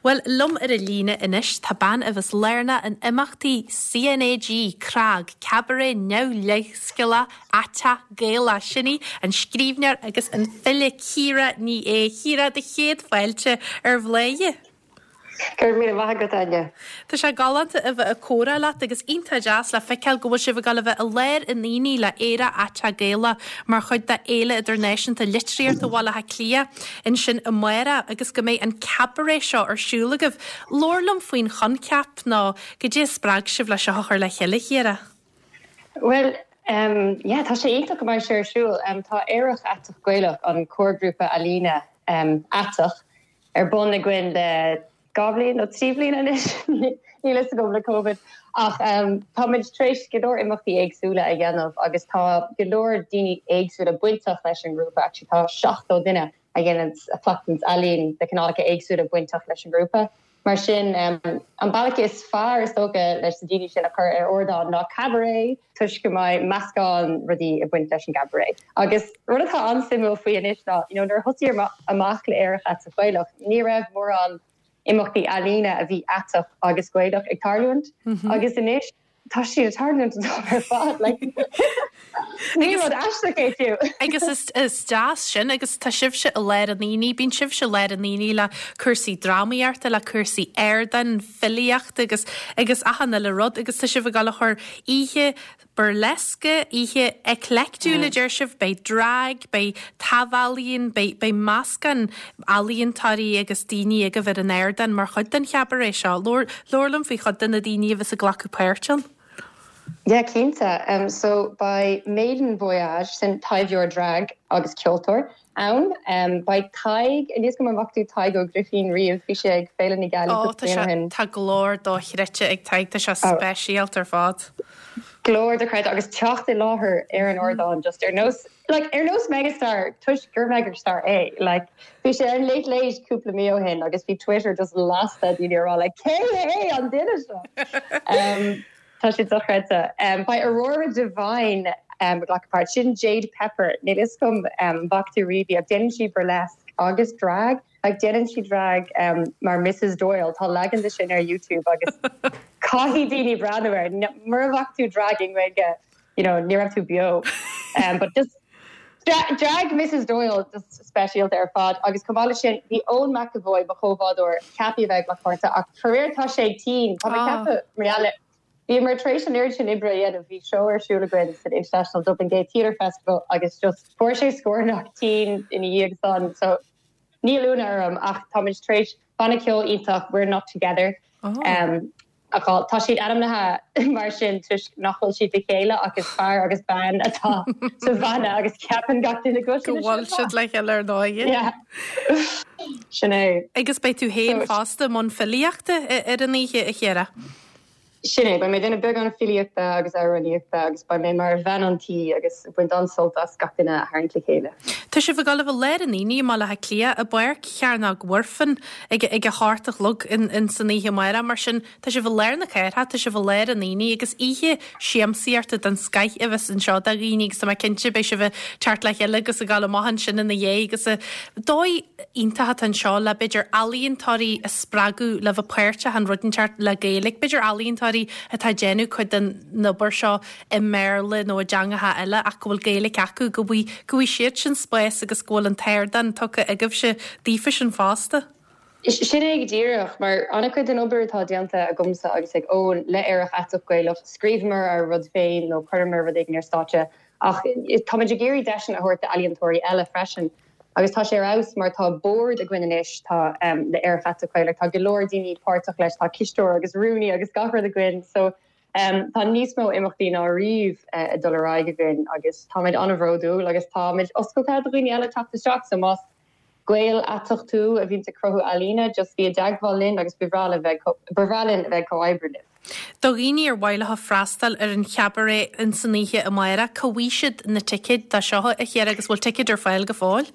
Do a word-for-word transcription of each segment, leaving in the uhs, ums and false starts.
Well liom ar an líne anois tá bean a bheas lárnach in imeachtaí CNAG CRAG Cabaret neamhleithscéalach aiteach Gaelach sin í an scríbhneoir agus an file Ciara Ní É Ciara do chéad fáilte ar Bhladhaire. Gur mí maith go aine. Tá sé galánta a bheith ag comhrá leat agus iontach deas le feiceáil go bhfuil sibh ag gabháil a bheith i lár an aonaigh le Aerach Aiteach Gaelach mar chuid de Fhéile Idirnáisiúnta Litríochta Bhaile Átha Cliath ansin amárach agus go mbeidh an cabaret seo ar siúl agaibh. Labhair liom faoin choincheap nó cad é a spreag sibh le seo a chur le chéile Chiara. Well, um, yeah, tá sé iontach go mbeidh sé ar siúl um, tá Aerach Aiteach Gaelach an comharghrúpa ealaíne um, aiteach ar bun againn le dhá bhliain nó trí bliana anois níl a fhios agam le COVID ach um, táimid tar éis go leor imeachtaí éagsúla a dhéanamh agus tá go leor daoine éagsúla bainteach leis an ngrúpa actually tá seachtó duine a dhéanann a chleachtann ealaín de chineálacha éagsúla bainteach leis an ngrúpa. Mar sin um, an bealach is fearr is dócha leis na daoine sin a chur ar ardán ná cabaret toisc go mbeidh meascán rudaí ag baint leis an gcabaret. Agus rud atá an-suimiúil faoi anois ná you know, nuair a thosaíomar amach le Aerach Aiteach Gaelach, ní raibh mórán imeachtaí ealaíne a bhí aiteach agus Gaelach ag tarlúint mm -hmm. agus anois tá siad ag tarlúint ar fad like ní rud aisteach é fiú. Agus is, is deas sin agus tá sibhse i lár an aonaigh, bíonn sibhse i lár an aonaigh le cúrsaí drámaíochta le cúrsaí ardáin filíochta agus agus achan uile rud agus tá sibh ag gabháil a chur oíche burlesque oíche eclecticúil a deir sibh, beidh drag, beidh taibhealaíon, beidh beidh meascán ealaíontóirí agus daoine agaibh ar an ardán mar chuid den chabaret seo. Labhair liom faoi chuid de na daoine a bheas ag glacadh páirt ann. Yeah, cinnte. Um, so beidh Maiden Voyage sin taibheoir drag agus ceoltóir ann. Um, beidh Tadhg níos go bhfaca tú Tadhg Ó Grifín riamh bhí sé ag Féile na Gealaí Ó tá Tá glór dochreidte ag Tadhg tá sé speisialta ar fad. Glór dochreidte agus teacht i láthair ar an ardán just ar nós like ar nós megastar toisc gur megastar é like bhí sé ar Late Late cúpla mí ó shin agus bhí Twitter just lasta daoine rá like cé hé an duine seo. um, Tá sé dochreidte. Um, beidh Aurora Divine um, glacadh páirt sin Jade Pepper níl a fhios agam um, bhfaca tú riamh ach déanann sí burlesque agus drag like déanann sí drag um, mar Mrs Doyle tá leagan de sin ar YouTube agus caithfidh daoine breathnú air mura bhfaca tú drag i nGaeilge you know ní raibh tú beo um, but just dra drag Mrs Doyle just speisialta ar fad agus chomh maith sin bhí Eoin McAvoy mo chomhbhádóir ceaptha bheith mar páirt ach faraor tá sé tinn Tá Ah. ceaptha mar Bhí mar tar éis an oiread sin oibre a dhéanamh bhí seó ar siúl againn san International Dublin Gay Theatre Festival agus just fuair sé scornach tinn ina dhiaidh san so níl ionadh orm ach táimid tar éis banna ceoil iontach we're not together. Oh. Um, ach tá siad ainmnithe mar sin toisc nach bhfuil siad le chéile agus fear agus bean atá sa bhanna agus ceapann gach duine go Go bhfuil siad le chéile ar ndóigh. Yeah. Sin é. Agus beidh tú féin So- fosta i mbun filíochta ar an oíche a Chiara. Sin é, beidh mé ag déanamh beagán filíochta agus amhránaíochta agus beidh mé mar bhean an tí agus baint an-sult as gach duine a tharraingt le chéile. Tá sibh ag gabháil a bheith i lár an aonaigh i mBaile Átha Cliath i bPáirc Chearnóg Mhuirfean ag ag a hocht a chlog in, in san oíche amárach mar sin tá sibh i lár na cathrach, tá sibh i lár an aonaigh agus oíche siamsaíochta den scoth a bheas anseo do dhaoine agus tá mé cinnte beidh sibh ag teacht le chéile agus ag gabháil amach ansin ina dhiaidh agus a dóigh iontach atá anseo le b'fhéidir ealaíontóirí a spreagadh le bheith páirteach in rud inteacht le Gaeilge, b'fhéidir ealaíontóirí atá ag déanamh cuid den obair seo i mBéarla nó i dteangacha eile ach go bhfuil Gaeilge acu go bhfaighidh go bhfaighidh siad sin spás agus go bhfuil an t-ardán tugtha agaibhse daofa sin fosta. Sin é go díreach mar an-chuid den obair atá déanta agamsa agus ag Eoin le Aerach Aiteach Gaelach, scríobhamar ár rud féin nó chuireamar rud éigin ar stáitse ach táimid ag iarraidh deiseanna a thabhairt d'ealaíontóirí eile freisin. Agus tá sé aus mar tá bord againn anois tá um, le Aerach Aiteach Gaelach, tá go leor daoine páirteach leis tá cisteoir agus rúnaí agus gach rud againn so um, tá níos mó imeachtaí ná riamh uh, dul ar aghaidh againn agus táimid an-bhródúil agus táimid oscailte do dhaoine eile teacht isteach so más Gael aiteach tú a bhíonn ag cruthú ealaíne just bí i dteagmháil linn agus ba bhreá linn a bheith ag comhoibriú libh. Do dhaoine ar mhaith leo freastal ar an chabaret in san oíche amárach, cá bhfaighidh siad na ticéid dó seo a Chiara agus bhfuil ticéid ar fáil go fóill?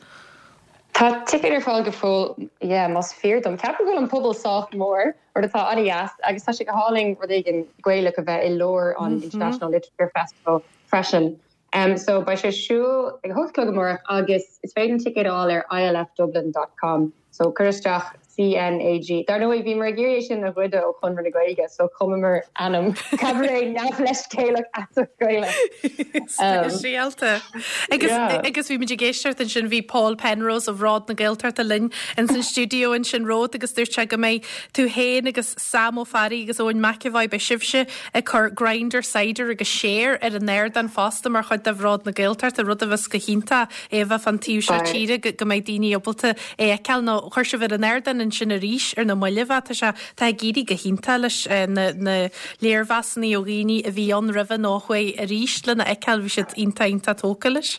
Tá ticéid ar fáil go fóill yeah, más fíor dom. Ceapaim go bhfuil an pobal sách mór rud atá an-deas agus tá sé go hálainn rud éigin Gaelach a bheith i lár an mm -hmm. International Literature Festival freisin. Um, so beidh sé ar siúl ag hocht a chlog amárach agus is féidir ticéid a fháil ar ilfdublin.com so cuir isteach CNAG. Dar ndóigh bhíomar ag iarraidh sin a ghoid ó Chonradh na Gaeilge, so chumamar ainm Cabaret Neamhleithscéalach Aiteach Gaelach. Speisialta. Agus agus bhí muid ag éisteacht ansin bhí Paul Penrose ó Bhród na Gaeltachta linn in san stiúideo ansin romhat agus dúirt sé go mbeidh tú féin agus Sam Ó Fearraigh agus Eoin McEvoy beidh sibhse ag cur grinder cider agus share ar an ardán fosta mar chuid de Bhród na Gaeltachta rud a bheas go hiontach é bheith fan taobh seo tíre go mbeidh daoine ábalta é a fheiceáil nó chuir sibh ar an ardán ansin arís ar na mallaibh tá sé tá ag éirí go hiontach leis eh, na, na léirmheasanna ó dhaoine a bhí ann roimhe nó chuaigh arís lena fheiceáil bhí siad iontach iontach tógtha leis.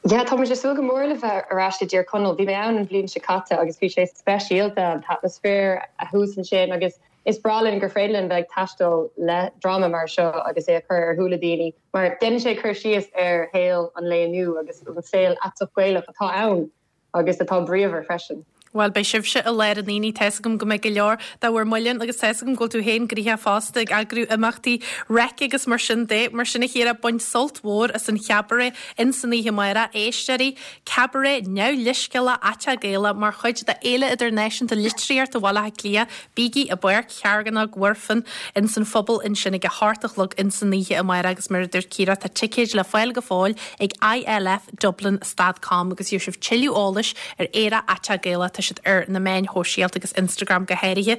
Ja tá sé súil go mór le bheith ar ais i dTír Chonaill, bhí mé ann an bhliain seo caite agus bhí sé speisialta an t-atmaisféar a thuas ansin agus is breá linn gur féidir linn bheith ag taisteal le dráma mar seo agus é a chur ar shúile daoine, mar déanann sé cur síos ar shaol an lae inniu agus an saol aiteach Gaelach atá ann agus atá bríomhar freisin. Well beidh sibhse i lár an aonaigh tá a fhios agam go mbeidh go leor de bhur muileann agus tá a fhios agam go bhfuil tú féin gnoitheach fosta ag eagrú imeachtaí raic agus mar sin de mar sin a Chiara bain sult mhór as an chabaret in san oíche amárach éisteoirí cabaret neamhleithscéalach aiteach Gaelach mar chuid de Fhéile Idirnáisiúnta Litríochta Bhaile Átha Cliath bígí i bPáirc Chearnóg Mhuirfean in san phuball ansin ag a hocht a chlog in san oíche amárach agus mar a dúirt Ciara tá ticéid le fáil go fóill ag ILF Dublin dot com agus gheobhaidh sibh tuilleadh eolais ar Aerach Aiteach Gaelach tá siad ar na meáin shóisialta agus Instagram go háirithe.